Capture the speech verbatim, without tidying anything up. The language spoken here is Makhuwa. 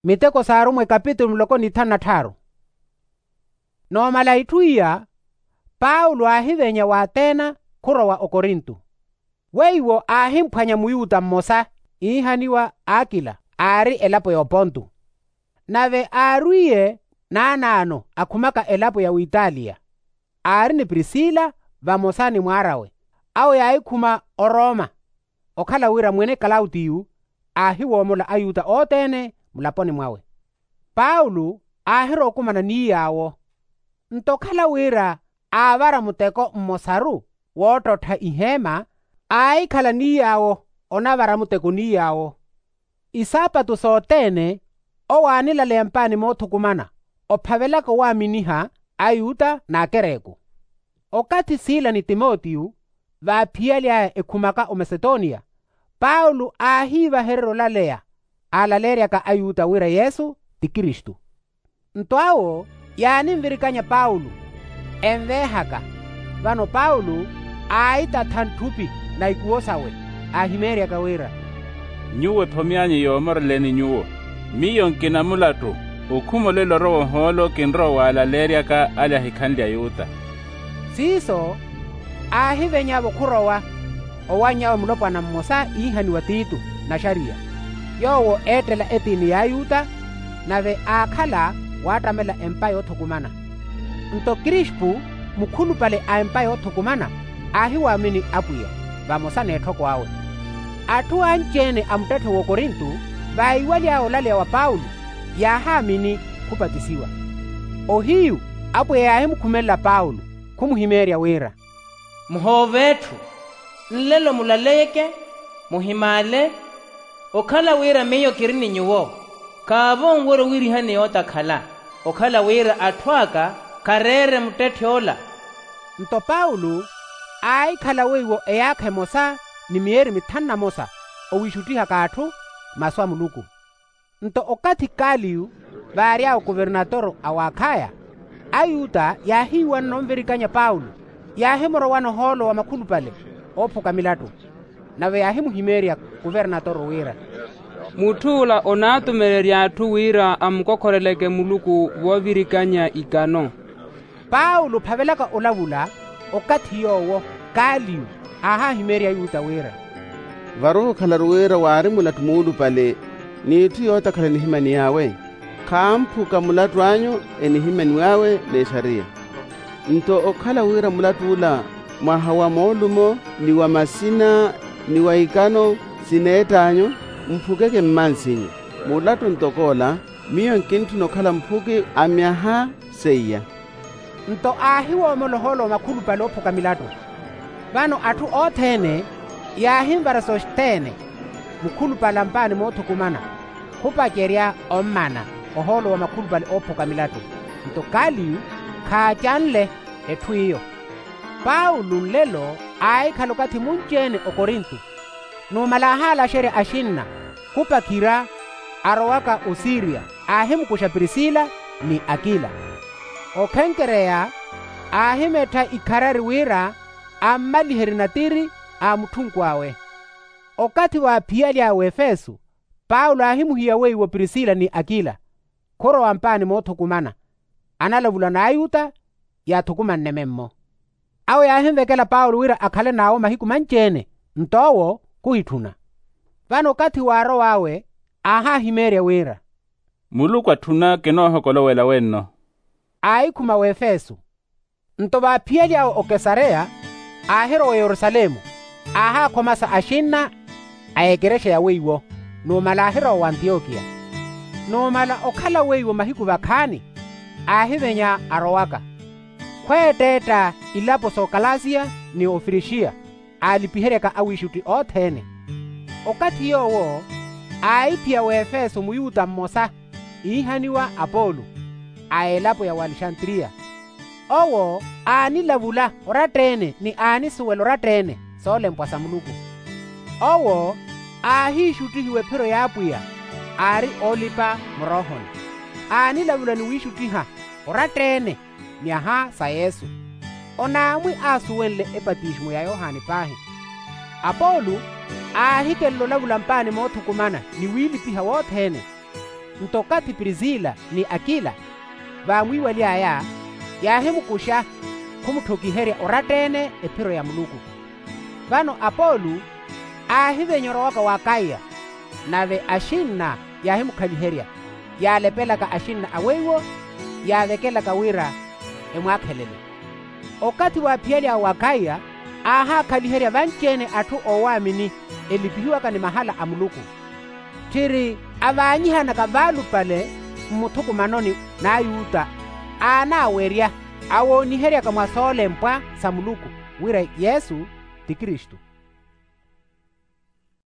Miteko s'arumwa ekapitulu muloko n'ithanu na tthaaru. Noomala itthu iya, paulo aahivenya w'atena khurowa okorinto. Weiwo aahimphwanya muyuta mmosa iihaniwa akila, aari elapo ya oponto. Nave aarwiye naanaano akhumaka elapo ya witaliya, aari ni prisila vamosa ni mwaar'awe, awo yaahikhuma oroma. Okhala wira mwene klautiyu aahiwoomola ayuta othene mulaponi mwawe. Paulo aahirowa okumana n'iy'awo. Nto okhala wira aavara muteko mmosaru woottottha iheema, aahikhala n'iy'awo onavara muteko n'iy'awo. Isaapatu sothene owo aanilaleya mpaani moothukumana, ophavelaka owaaminiha ayuta n'akereku. Okathi sila ni timotiyo vaaphiyaly'aya ekhumaka omasetonia, paulo aahiivahererya olaleya aalaleeryaka ayuta wira yesu ti kristu. Nto awo yaaninvirikanya paulo, enveehaka. Vano paulo aahitatha ntthupi na ikuwo sawe, aahimeeryaka wira, nyuwo ephomi anyu yoomoreleni nyuwo. Miyo nkina mulattu okhuma olelo orowa ohoolo kinrowa owaalaleeryaka ale ahikhanle ayuta. Siiso aahiveny'avo khurowa, owanny'awe mulopwana mmosa iihaniwa tito, naxariya, yoowo eettela etiini y'ayuta, nave aakhala waattamela empa yoothukumana. Nto krispu mukhulupale a empa yoothukumana aahiwaamini apwiya, vamosa n'etthoko awe. Atthu anci-ene a muttetthe w'okorinto vaiwaly'aya olaleya wa paulo, yaahaamini khupatisiwa. Ohiyu apwiya yaahimukhumelela paulo, khumuhimeerya wira, muhoove etthu, nlelo mulaleyeke, muhimaale. Okhala wira miyo kiri ni nyuwo, khaavo onwerya owirihani yootakhala, okhala wira atthu aka khareere muttetthe ola. Nto paulo aahikhala weiwo eyaakha emosa ni miyeeri mithanu na mosa, owiixuttihaka atthu masu a muluku. Nto okathi kaliyu vaary'awe kuvernatoro a w'akhaya, ayuta yaahiiwanana onvirikanya paulo, yaahimurowana ohoolo wa makhulupale oophuka milattu. Nave yaahimuhimeerya kuvernatoro wira, mutthu'ula onaatumererya atthu wira amukokhoreleke muluku voovirikanya ikano. Paulo ophavelaka olavula, okathi yoowo kaliyu aahahimeerya ayuta wira, varowa okhalaru wira waari mulattu muulupale, n'itthu yootakhala enihimaniw'awe, khamphuka mulattu anyu enihimaniw'awe n'exariya. Nto okhala wira mulattu ula mwaha wa moolumo, ni wa masina, ni wa ikano sineett'anyu, mphukeke mmansinyu. Mulattu ntoko ola, miyo nkintthuna okhala mphuki a myaha seiya. Nto aahiwoomola ohoolo wa makhulupale oophuka milattu. Vano atthu othene yaahinvara sosthene, mukhulupale a mpaani moothukumana, khupacerya ommana ohoolo wa makhulupale oophuka milattu. Nto kaliyu khaacanle etthu iyo. Paulo nlelo aahikhala okathi munci-ene okorinto, numala aahaalaxerya axinna khupakhira arowaka osiriya, aahimukuxa prisila ni akila. Okhenkereya aahimettha ikharari wira ammaliherye natiri a mutthunku awe. Okathi waaphiyaly'aya w'efeso, paulo aahimuhiya weiwo prisila ni akila khurowa mpaani moothukumana, analavula n'ayuta yaathukumanne memmo. Awo yaahinvekela paulo wira akhale n'awo mahiku manci-ene, nto owo khuhitthuna. Vano okathi waarow'awe aahahimeerya wira, muluku atthuna kinoohokolowela wenno. Aahikhuma w'efeso. Nto vaaphiyaly'awe okesareya, aahirowa oyerusalemu, aahaakhomasa axinna a ekerexa ya weiwo, numala aahirowa w'antiyokiya. Numala okhala weiwo mahiku vakhaani, aahivenya arowaka. Khweetteetta ilapo s'okalasiya ni ofirixiya, aalipiheryaka awiixutti othene. Okathi yoowo aahiphiya w'efeso muyuta mmosa iihaniwa apolo, a elapo ya walexantiriya. Owo aanilavula oratta-ene ni aanisuwela oratta-ene soolempwa sa muluku. Owo aahiixuttihiwa ephiro y'apwiya, aari oolipa muroohoni. Aanilavula ni wiixuttiha oratta-ene myaha sa yesu. Onaamwi aasuwenle epatisimu ya yohani paahi. Apolo aahikelela olavula mpaani moothukumana ni wiilipiha wothene. Nto okathi prisila ni akila vaamwiiwaly'aya, yaahimukuxa khumutthokiherya oratta-ene ephiro ya muluku. Vano apolu aahivenyerya owaka w'akaiya, nave axinna yaahimukhaliherya, yaalepelaka axinna a weiwo, yaavekelaka wira emwaakhelele. Okathi waaphiyalyawe w'akaiya, aahaakhaliherya vanci-ene atthu oowaamini, elipihiwaka ni mahala a muluku. Tthiri avaanyihanaka vaalupale mmuthukumanoni n'ayuta, aanaawerya, awooniheryaka mwa soolempwa sa muluku, wira yesu ti kristu.